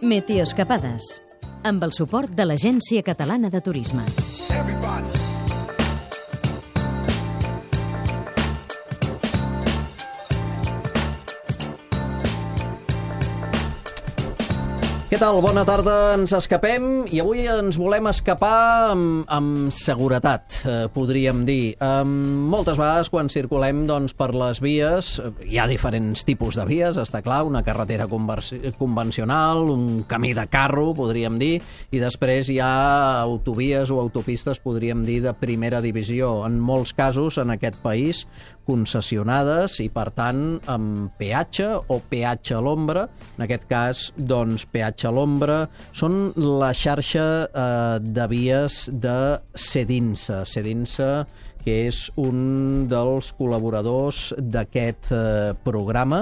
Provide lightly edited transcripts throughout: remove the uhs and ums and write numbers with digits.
Meteoscapades, amb el suport de l'Agència Catalana de Turisme. Què tal? Bona tarda, ens escapem i avui ens volem escapar amb seguretat, podríem dir. Moltes vegades quan circulem per les vies, hi ha diferents tipus de vies, està clar, una carretera convencional, un camí de carro, podríem dir, i després hi ha autovies o autopistes, podríem dir, de primera divisió, en molts casos en aquest país, concessionades i, per tant, amb peatge o peatge a l'ombra. En aquest cas, doncs, peatge a l'ombra són la xarxa de vies de Cedinsa. Cedinsa, que és un dels col·laboradors d'aquest programa.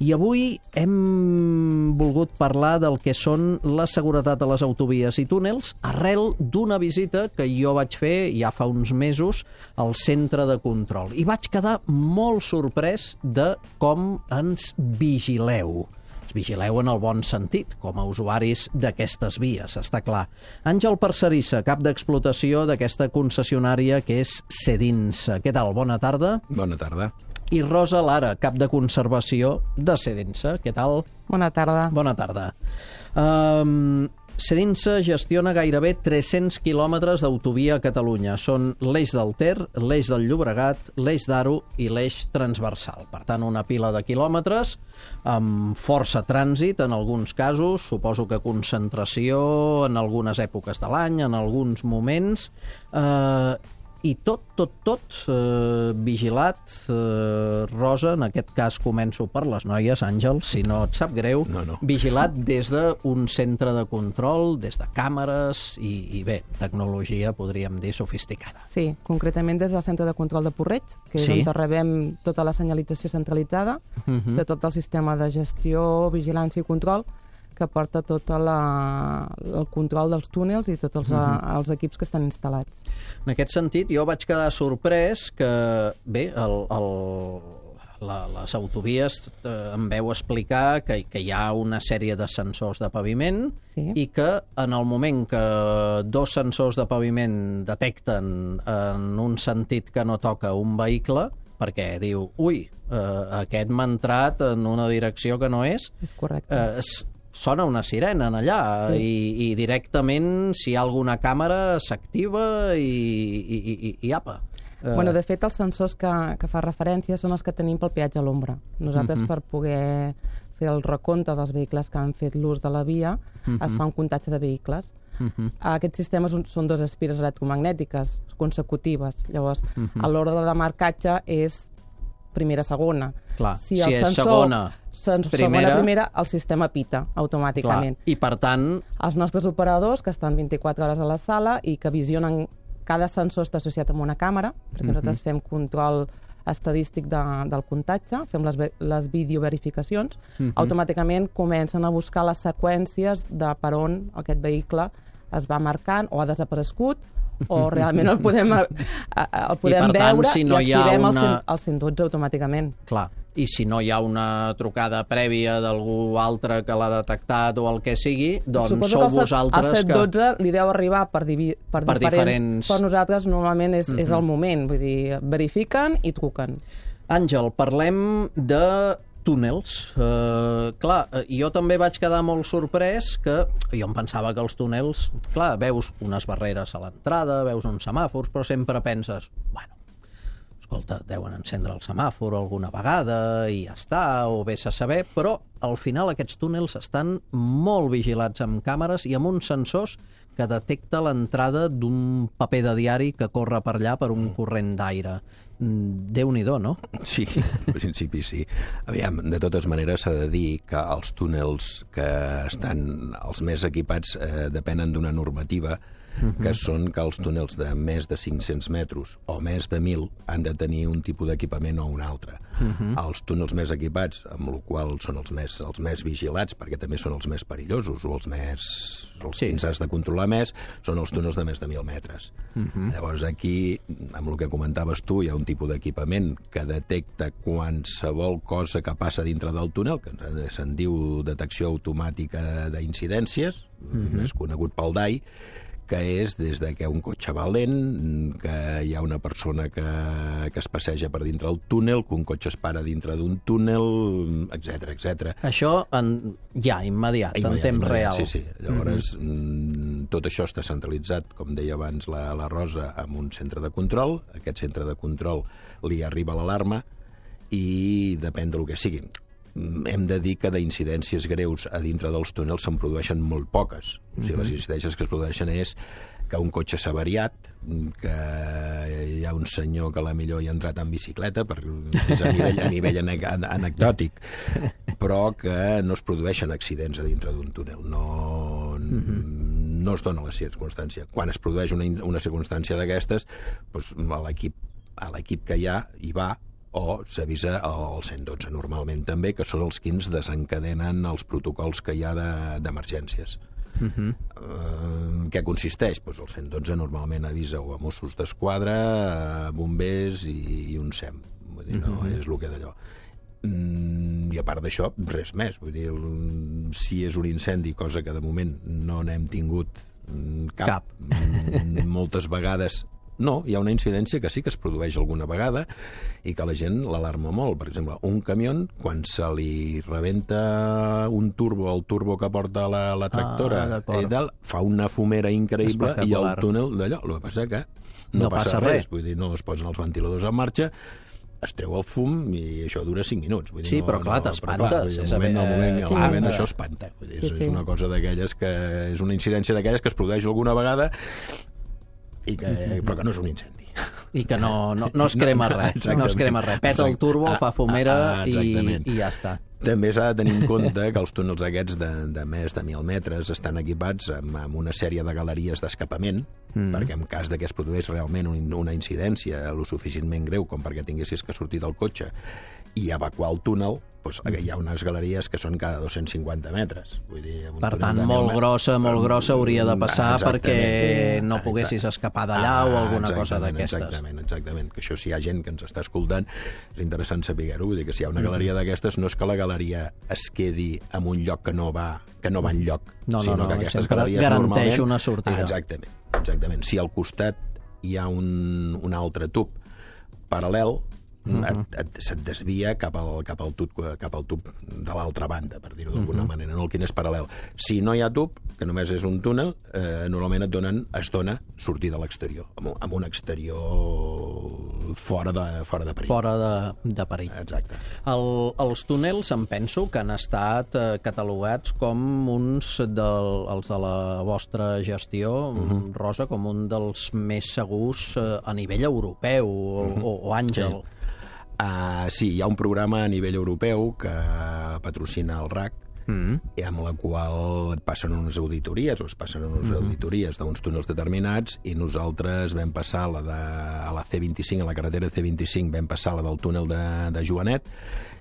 I avui hem volgut parlar del que són la seguretat a les autovies i túnels arrel d'una visita que jo vaig fer ja fa uns mesos al centre de control. I vaig quedar molt sorprès de com ens vigileu. Ens vigileu en el bon sentit, com a usuaris d'aquestes vies, està clar. Àngel Parcerissa, cap d'explotació d'aquesta concessionària que és Cedinsa. Què tal? Bona tarda. Bona tarda. I Rosa Lara, cap de conservació de Cedinsa. Què tal? Bona tarda. Bona tarda. Cedinsa gestiona gairebé 300 quilòmetres d'autovia a Catalunya. Són l'eix del Ter, l'eix del Llobregat, l'eix d'Aro i l'eix transversal. Per tant, una pila de quilòmetres amb força trànsit en alguns casos, suposo que concentració en algunes èpoques de l'any, en alguns moments, i tot vigilat. Rosa, en aquest cas començo per les noies, Àngel, si no et sap greu. No. Vigilat des d'un centre de control, des de càmeres i bé, tecnologia, podríem dir, sofisticada. Sí, concretament des del centre de control de Porreig, que és Sí. on rebem tota la senyalització centralitzada de tot el sistema de gestió, vigilància i control que porta tot el control dels túnels i tots els equips que estan instal·lats. En aquest sentit, jo vaig quedar sorprès que, bé, les autovies em veu explicar que hi ha una sèrie de sensors de paviment i que en el moment que dos sensors de paviment detecten en un sentit que no toca un vehicle, perquè diu, ui, aquest m'ha entrat en una direcció que no és... És correcte. Sona una sirena allà i directament, si hi ha alguna càmera, s'activa i apa. Bueno, de fet, els sensors que fa referència són els que tenim pel peatge a l'ombra. Nosaltres, per poder fer el recompte dels vehicles que han fet l'ús de la via, es fa un comptatge de vehicles. Aquests sistemes són dos espires electromagnètiques consecutives. Llavors, l'ordre de marcatge és primera-segona. Clar, si és segona, primera, el sistema pita automàticament. Clar. I, per tant... Els nostres operadors, que estan 24 hores a la sala i que visionen... Cada sensor està associat amb una càmera, perquè nosaltres fem control estadístic del comptatge, fem les videoverificacions, automàticament comencen a buscar les seqüències de per on aquest vehicle es va marcant o ha desaparegut o realment el podem veure si no i activem el 112 automàticament. Clar, i si no hi ha una trucada prèvia d'algú altre que l'ha detectat o el que sigui, doncs sou vosaltres que... El 112 li deu arribar per diferents... Per nosaltres normalment és el moment, vull dir, verifiquen i truquen. Àngel, parlem de túnels. Clar, jo també vaig quedar molt sorprès que jo em pensava que els túnels, clar, veus unes barreres a l'entrada, veus uns semàfors, però sempre penses, bueno, escolta, deuen encendre el semàfor alguna vegada i ja està, o vés a saber, però al final aquests túnels estan molt vigilats amb càmeres i amb uns sensors que detecta l'entrada d'un paper de diari que corre per allà per un corrent d'aire. Déu-n'hi-do, no? Sí, en principi sí. Aviam, de totes maneres s'ha de dir que els túnels que estan els més equipats depenen d'una normativa que són que els túnels de més de 500 metres o més de 1.000 han de tenir un tipus d'equipament o un altre. Els túnels més equipats, amb la qual són els més vigilats, perquè també són els més perillosos o els que ens has de controlar més, són els túnels de més de 1.000 metres. Llavors aquí, amb el que comentaves tu, hi ha un tipus d'equipament que detecta qualsevol cosa que passa dintre del túnel, que se'n diu detecció automàtica d'incidències, més conegut pel DAI, que és des de que un cotxe va lent, que hi ha una persona que es passeja per dintre del túnel, que un cotxe es para dintre d'un túnel, etc. Això ja, immediat, en temps real. Sí. Llavors, tot això està centralitzat, com deia abans la Rosa, en un centre de control. Aquest centre de control li arriba l'alarma i depèn del que sigui. Hem de dir que d'incidències greus a dintre dels túnels se'n produeixen molt poques. O sigui, les incidències que es produeixen és que un cotxe s'ha avariat, que hi ha un senyor que a la millor hi ha entrat en bicicleta, és a nivell anecdòtic, però que no es produeixen accidents a dintre d'un túnel. No es dona la circumstància. Quan es produeix una circumstància d'aquestes, doncs l'equip que hi va, o s'avisa al 112 normalment també, que són els que ens desencadenen els protocols que hi ha d'emergències. Què consisteix? Doncs el 112 normalment avisa o a Mossos d'Esquadra, a bombers i un SEM. Vull dir, no és el que d'allò. I a part d'això, res més. Vull dir, si és un incendi, cosa que de moment no n'hem tingut cap. Moltes vegades no, hi ha una incidència que sí que es produeix alguna vegada i que la gent l'alarma molt. Per exemple, un camió, quan se li rebenta un turbo, el turbo que porta la tractora, fa una fumera increïble i el túnel d'allò. El que passa que no passa res. Vull dir, no es posen els ventiladors en marxa, es treu el fum i això dura 5 minuts. Vull dir, sí, però clar, t'espantes. Al moment això espanta. Vull dir, és una cosa d'aquelles que és una incidència d'aquelles que es produeix alguna vegada però que no és un incendi. I que no es crema res. No es crema res. Peta el turbo, fa fumera i ja està. També s'ha de tenir en compte que els túnels aquests de més de 1.000 metres estan equipats amb una sèrie de galeries d'escapament, perquè en cas que es produeix realment una incidència lo suficientment greu com perquè tinguessis que sortir del cotxe i evacuar el túnel, doncs hi ha unes galeries que són cada 250 metres. Vull dir, per tant, molt grossa hauria de passar perquè no poguessis escapar d'allà o alguna cosa d'aquestes. Exactament. Que això, si hi ha gent que ens està escoltant, és interessant saber-ho. Vull dir que si hi ha una galeria d'aquestes, no és que la galeria es quedi en un lloc que no va enlloc, sinó que aquestes galeries garanteix una sortida. Exactament. Si al costat hi ha un altre tub paral·lel, se't desvia cap al tub de l'altra banda, per dir-ho d'alguna manera, no el quin és paral·lel. Si no hi ha tub, que només és un túnel, normalment es dona sortir de l'exterior, amb un exterior fora de perill. Fora de perill. Exacte. Els túnels, em penso, que han estat catalogats com els de la vostra gestió, Rosa, com un dels més segurs a nivell europeu, o Àngel. Sí, hi ha un programa a nivell europeu que patrocina el RAC, i amb la qual et passen unes auditories d'uns túnels determinats, i nosaltres vam passar a la C25, a la carretera C25, vam passar la del túnel de Joanet,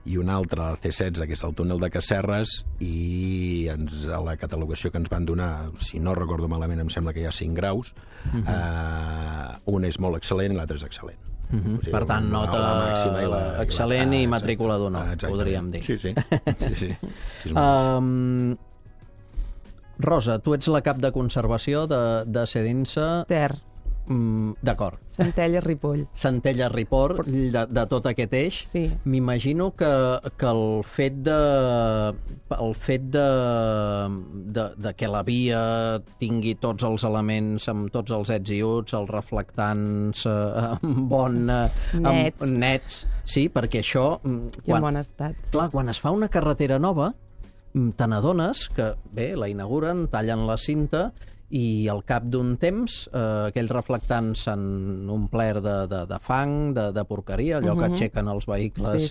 i una altra, la C16, que és el túnel de Casserres, i a la catalogació que ens van donar, si no recordo malament, em sembla que hi ha 5 graus, un és molt excel·lent i l'altre és excel·lent. O sigui, per tant, nota excel·lent i matrícula d'honor, podríem dir. Sí. Rosa, tu ets la cap de conservació de Cedinsa. Ter. D'acord. Centelles-Ripoll. Centelles-Ripoll, de tot aquest eix. Sí. M'imagino que el fet de que la via tingui tots els elements amb tots els ets i uts, els reflectants nets. Sí, perquè això... I en bon estat. Clar, quan es fa una carretera nova, te n'adones que, bé, la inauguren, tallen la cinta i al cap d'un temps aquells reflectants s'han omplert de fang, de porqueria, allò que aixequen els vehicles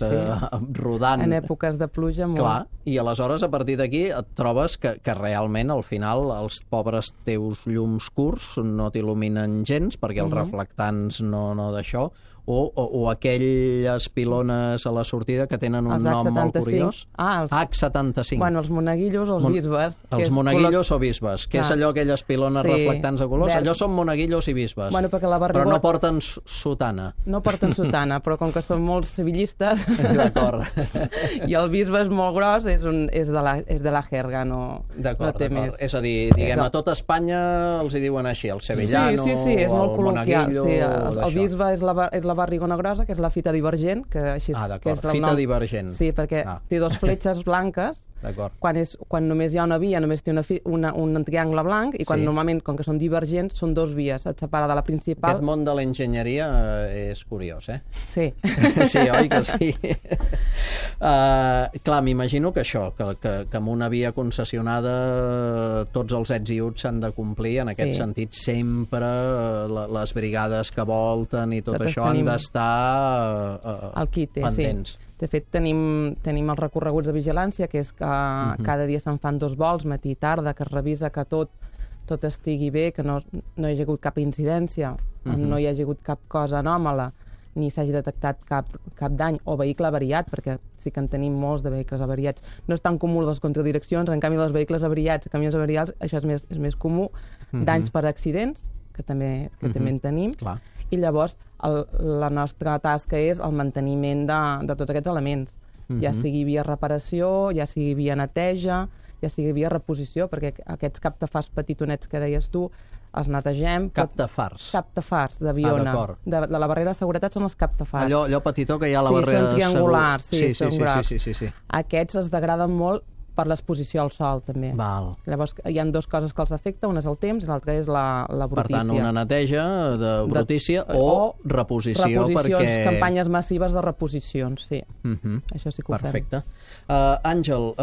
rodant. En èpoques de pluja molt. Clar, i aleshores a partir d'aquí et trobes que realment al final els pobres teus llums curts no t'il·luminen gens perquè els reflectants no d'això, o aquelles pilones a la sortida que tenen un nom molt curiós. Els H75. Bueno, els monaguillos o els bisbes. Els monaguillos o bisbes, que és allò, aquelles pilones reflectants de colors. Allò són monaguillos i bisbes. Bueno, perquè la però no porten sotana. No porten sotana, però com que són molt civilistes... D'acord. I el bisbe és molt gros, és de la jerga, no té més. És a dir, diguem, a tota Espanya els hi diuen així, el sevillano, sí, és molt col·loquial. el bisbe és la barrigona grosa, que és la fita divergent. D'acord, fita divergent. Sí, perquè té dos fletxes blanques. Quan només hi ha una via, només té un triangle blanc, i quan normalment, com que són divergents, són dos vies, et separa de la principal. Aquest món de l'enginyeria és curiós, eh? Sí. Sí, oi que sí? Clar, m'imagino que això, que amb una via concessionada tots els ets i uts s'han de complir, en aquest sentit sempre les brigades que volten i tot això han d'estar pendents. De fet, tenim els recorreguts de vigilància, que és que cada dia se'n fan 2 vols, matí i tarda, que es revisa que tot estigui bé, que no hi hagi hagut cap incidència, no hi hagi hagut cap cosa anòmala, ni s'hagi detectat cap dany o vehicle avariat, perquè sí que en tenim molts de vehicles avariats. No és tan comú les contradireccions, en canvi dels vehicles avariats, camions avariats, això és més comú. Danys per accidents, que també en tenim. Clar. I llavors la nostra tasca és el manteniment de tots aquests elements, ja sigui via reparació, ja sigui via neteja, ja sigui via reposició, perquè aquests captafars petitonets que deies tu els netegem. Captafars? Captafars de Viona. De la barrera de seguretat són els captafars. Allò petitó que hi ha a la barrera de seguretat. Sí, són triangulars, són grocs. Sí. Aquests es degraden molt per l'exposició al sol, també. Val. Llavors, hi ha 2 coses que els afecta, una és el temps i l'altra és la brutícia. Per tant, una neteja de brutícia o reposició. Reposicions, campanyes massives de reposicions, sí. Això sí que ho fem. Perfecte. Àngel,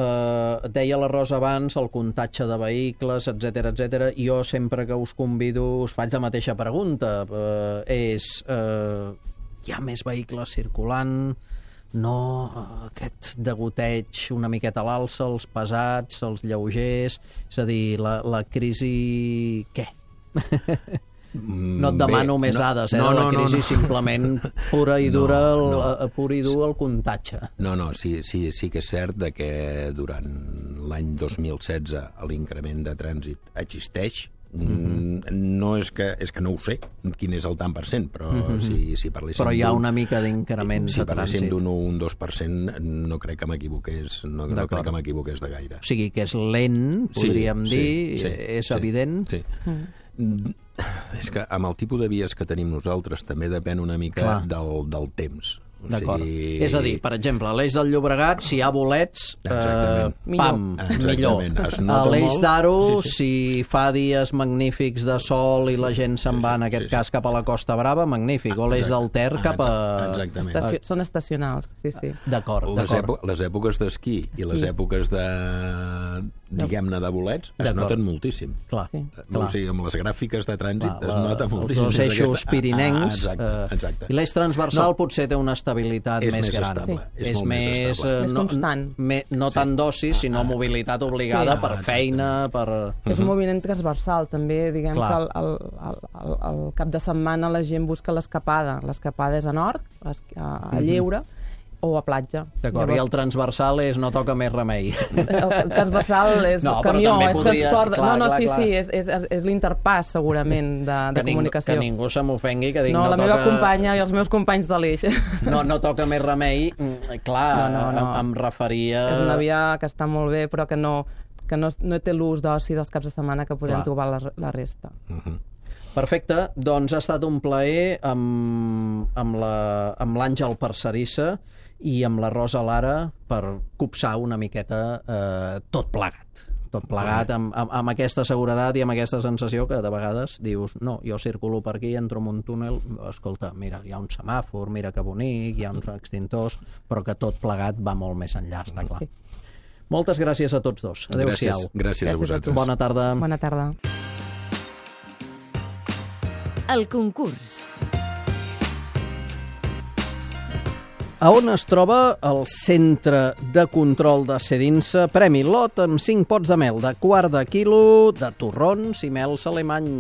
deia la Rosa abans, el comptatge de vehicles, etc. Jo sempre que us convido us faig la mateixa pregunta. Hi ha més vehicles circulant? No, aquest degoteig una miqueta a l'alça, els pesats, els lleugers, és a dir, la crisi... Què? No et demano més dades, la crisi simplement pura i dura el comptatge. No, sí que és cert que durant l'any 2016 l'increment de trànsit existeix. No és que no ho sé quin és el tant per cent, però si parléssim... Però hi ha una mica d'increment de trànsit. Si parléssim d'un 1-2%, no crec que m'equivoqués de gaire. O sigui, que és lent, podríem dir, és evident. Sí. És que amb el tipus de vies que tenim nosaltres també depèn una mica del temps. D'acord. És a dir, per exemple, a l'Eix del Llobregat, si hi ha bolets, millor. A l'Eix d'Aro, si fa dies magnífics de sol i la gent se'n va, en aquest cas, cap a la Costa Brava, magnífic. O l'Eix del Ter cap a... Són estacionals, sí. D'acord. Les èpoques d'esquí i les èpoques diguem-ne, de bolets, es noten moltíssim. Clar. O sigui, amb les gràfiques de trànsit es nota moltíssim. Els 2 eixos pirinencs. Exacte. I l'eix transversal potser té una estabilitat més gran. És més constant. No tant d'oci, sinó mobilitat obligada per feina, per... És un moviment transversal, també, diguem que al cap de setmana la gent busca l'escapada. L'escapada és a nord, a Lleure, o a platja. D'acord, i el transversal és no toca més remei. El transversal és camió, és transport... Sí, és l'interpàs, segurament, de comunicació. Que ningú se m'ofengui, que dic no toca... No, la meva companya i els meus companys de l'Eix. No toca més remei, clar, em referia... És una via que està molt bé, però que no té l'ús d'oci dels caps de setmana que podem trobar la resta. Perfecte, doncs ha estat un plaer amb l'Àngel Parcerissa i amb la Rosa Lara per copsar una miqueta tot plegat amb aquesta seguretat i amb aquesta sensació que de vegades dius, no, jo circulo per aquí, entro en un túnel, escolta, mira, hi ha un semàfor, mira que bonic, hi ha uns extintors, però que tot plegat va molt més enllà, està clar. Moltes gràcies a tots dos. Adéu-siau. Gràcies a vosaltres. Bona tarda. Bona tarda. El concurs. A on es troba el centre de control de Cedinsa? Premi lot amb 5 pots de mel de quart de quilo de torrons i mels alemany.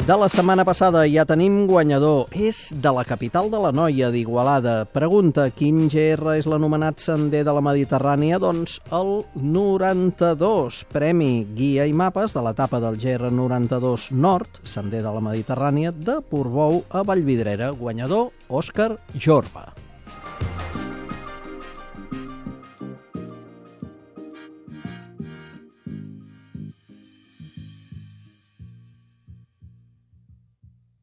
De la setmana passada ja tenim guanyador. És de la capital de la Noia, d'Igualada. Pregunta, quin GR és l'anomenat sender de la Mediterrània? Doncs el 92. Premi guia i mapes de l'etapa del GR 92 Nord, sender de la Mediterrània, de Portbou a Vallvidrera. Guanyador, Òscar Jorba.